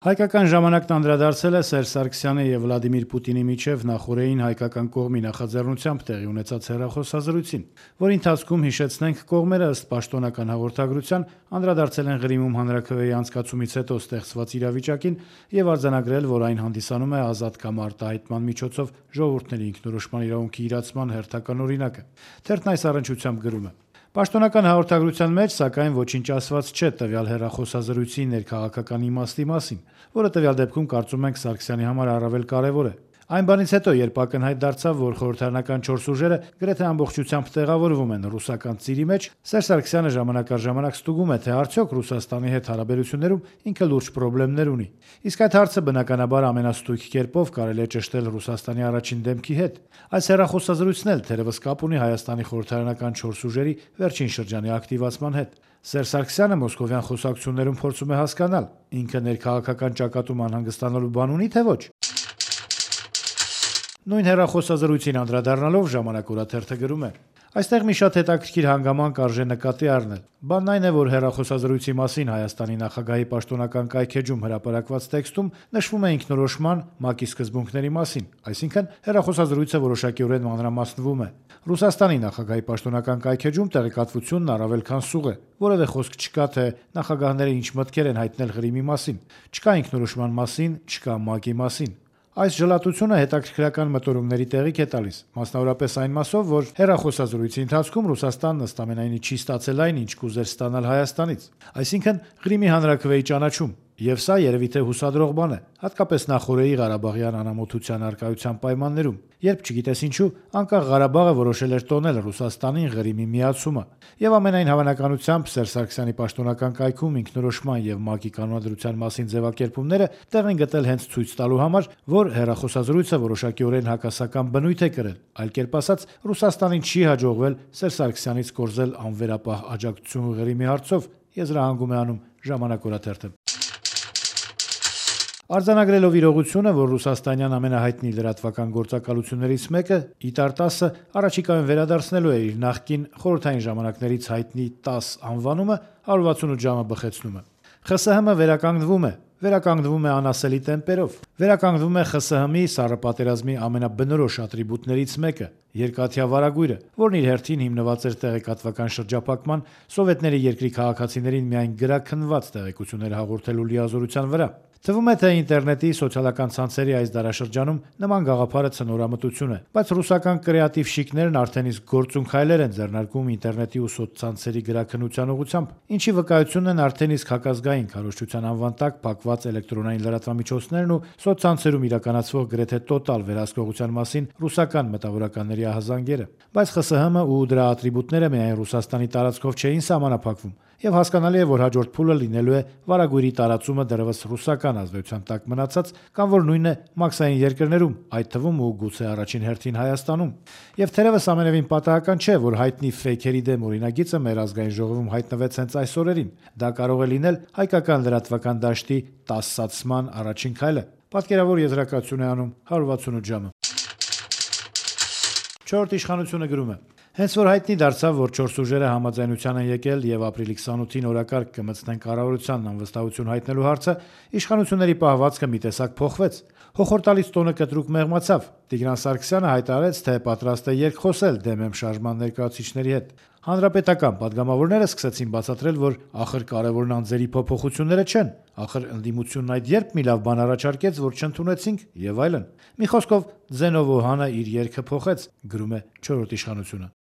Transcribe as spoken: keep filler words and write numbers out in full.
Հայկական ժամանակն անդրադարձել է Սերժ Սարգսյանի եւ Վլադիմիր Պուտինի միջև նախօրեին հայկական կողմի նախաձեռնությամբ տեղի ունեցած հեռախոսազրույցին, որի ընթացքում, հիշեցնենք, կողմերը ըստ պաշտոնական հաղորդագրության անդրադարձել են Ղրիմում հանրաքվեի անցկացումից հետո ստեղծված իրավիճակին եւ արձանագրել, որ այն հանդիսանում է ազատ կամ արտահայտման միջոցով ժողովուրդների ինքնորոշման իրավունքի իրացման հերթական օրինակը։ Թերթն այս առնչությամբ գրում է. Պաշտոնական հաղորդագրության մեջ, սակայն, ոչինչ ասված չէ տվյալ հեռախոսազրույցի ներքաղաքական իմաստի մասին, որը տվյալ դեպքում կարծում ենք Սարգսյանի համար առավել կարևոր է։ Այն բանից հետո, երբ ակնհայտ դարձավ, որ խորհրդարանական չորս ուժերը գրեթե ամբողջությամբ տեղավորվում են ռուսական ծիրի մեջ, Սերժ Սարգսյանը ժամանակ առ ժամանակ ստուգում է, թե արդյոք Ռուսաստանի հետ հարաբերություններում ինքը լուրջ խնդիրներ ունի։ Իսկ այդ հարցը բնականաբար ամենաստույգ կերպով կարելի է ճշտել Ռուսաստանի առաջին դեմքի հետ։ Այս հեռախոսազրույցն էլ թերևս կապ ունի Հայաստանի խորհրդարանական չորս ուժերի վերջին շրջանի ակտիվացման հետ։ Սերժ Սարգսյանը մոսկովյան խոսակցություններում փորձում է հասկանալ, ինքը ներքաղաքական ճակատում անհանգստանալու բան ունի, թե ոչ։ Նույն հեռախոսազրույցին անդրադառնալով «Ժամանակ» օրաթերթը գրում է. Այստեղ մի շատ հետաքրքիր հանգամանք արժե նկատի առնել։ Բանն այն է, որ հեռախոսազրույցի մասին Հայաստանի նախագահի պաշտոնական կայքէջում հրապարակված տեքստում նշվում է ինքնորոշման ՄԱԿ-ի սկզբունքների մասին, այսինքն հեռախոսազրույցը որոշակիորեն մանրամասնվում է։ Ռուսաստանի նախագահի պաշտոնական կայքէջում տեղեկատվությունն առավել քան սուղ է, որևէ խոսք չկա, թե նախագահները ինչ մտքեր են հայտնել Ղրիմի մասին, չկա ինքնորոշման մասին, չկա ՄԱԿ-ի մասին։ Այս ժլատությունը հետաքրքրական մտորումների տեղիք է տալիս, մասնավորապես այն մասով, որ հեռախոսազրույցի ընթացքում Ռուսաստանն ըստ ամենայնի չի ստացել այն, ինչ կուզեր ստանալ Հայաստանից, այսինքն Ղրիմի հանրաքվեի ճանաչում, եւ սա երևի թե հուսադրող բան է, հատկապես նախօրեի Ղարաբաղյան անամոթության առկայության պայմաններում, երբ չգիտես ինչու անկախ Ղարաբաղը որոշել էր տոնել Ռուսաստանին Ղրիմի միացումը, եւ ամենայն հավանականությամբ Սերժ Սարգսյանի պաշտոնական կայքում ինքնորոշման եւ ՄԱԿ-ի կանոնադրության մասին ձևակերպումները տեղ են գտել հենց ցույց տալու համար, որ հեռախոսազրույցը որոշակիորեն հակասական բնույթ է կրել, այլ կերպ ասած, Ռուսաստանին չի հաջողվել Սերժ Սարգսյանից կորզել անվերապահ աջակցություն Ղրիմի հարցով, եզրահանգում է անում «Ժամանակ» օրաթերթը։ Արձանագրելով իրողությունը, որ ռուսաստանյան ամենահայտնի լրատվական գործակալություններից մեկը՝ ԻՏԱՐ-տասը, առաջիկայում վերադարձնելու է իր նախկին խորհրդային ժամանակներից հայտնի տաս անվանումը, հարյուր վաթսունութ ժամը բխեցնում է։ ԽՍՀՄ վերականգնվում է, վերականգնվում է անասելի տեմպերով, վերականգնվում է ԽՍՀՄ-ի սառը պատերազմի ամենաբնորոշ ատրիբուտներից մեկը՝ երկաթյա վարագույրը, որն իր հերթին հիմնված էր տեղեկատվական շրջափակման, սովետների երկրի քաղաքացիներին միայն գրաքննված տեղեկություններ հաղորդելու լիազորության վրա։ Թվում է, թե ինտերնետի, սոցիալական ցանցերի այս դարաշրջանում նման գաղափարը ցնորամտություն է, բայց ռուսական կրեատիվ շիկներն արդեն իսկ գործուն քայլեր են ձեռնարկում ինտերնետի ու սոցցանցերի գրաքննության ուղղությամբ, ինչի վկայությունն են արդեն իսկ հակազգային քարոզչության անվան տակ փակված էլեկտրոնային լրատվամիջոցներն ու սոցցանցերում իրականացվող գրեթե տոտալ վերահսկողության մասին ռուսական մտավորականների ահազանգերը։ Բայց ԽՍՀՄ ու դրա ատրիբուտները միայն Ռուսաստանի տարածքով չէին սահմանափակվում, եւ հասկանալի է, որ հաջորդ փուլը լինելու է վարագույրի տարածումը դեռևս ռուսական ազդեցության տակ մնացած կամ որ նույնը մաքսային երկրներում, այդ թվում ու գուցե առաջին հերթին Հայաստանում։ Եվ թերևս ամենևին պատահական չէ, որ հայտնի ֆեյքերի դեմ օրինագիծը մեր ազգային ժողովում հայտնվեց հենց այս օրերին։ Դա կարող է լինել հայկական լրատվական դաշտի տասացման առաջին քայլը։ Պատկերավոր եզրակացություն է անում հարյուր վաթսունութ ժամը։ Չորրորդ իշխանությունը գրում է. Հենց որ հայտնի դարձավ, որ չորս ուժերը համաձայնության են եկել եւ ապրիլի քսանութին օրակարգ կմտցնեն կառավարությանն անվստահություն հայտնելու հարցը, իշխանությունների պահվածքը մի տեսակ փոխվեց։ Հոխորտալից տոնը կտրուկ մեղմացավ։ Տիգրան Սարգսյանը հայտարարեց, թե պատրաստ է երկխոսել դեմ շարժման ներկայացուցիչների հետ։ Հանրապետական падգամավորները սկսեցին բացատրել, որ ախր կարևորն անձերի փոփոխությունները չեն, ախր ընդդիմությունն այդ երբ մի լավ բան առաջարկեց, որ չընդունեցինք եւ այլն։ Մի խոսքով Ձենովոհանը իր երգը փոխեց, գրում է չորրորդ իշխանությունը։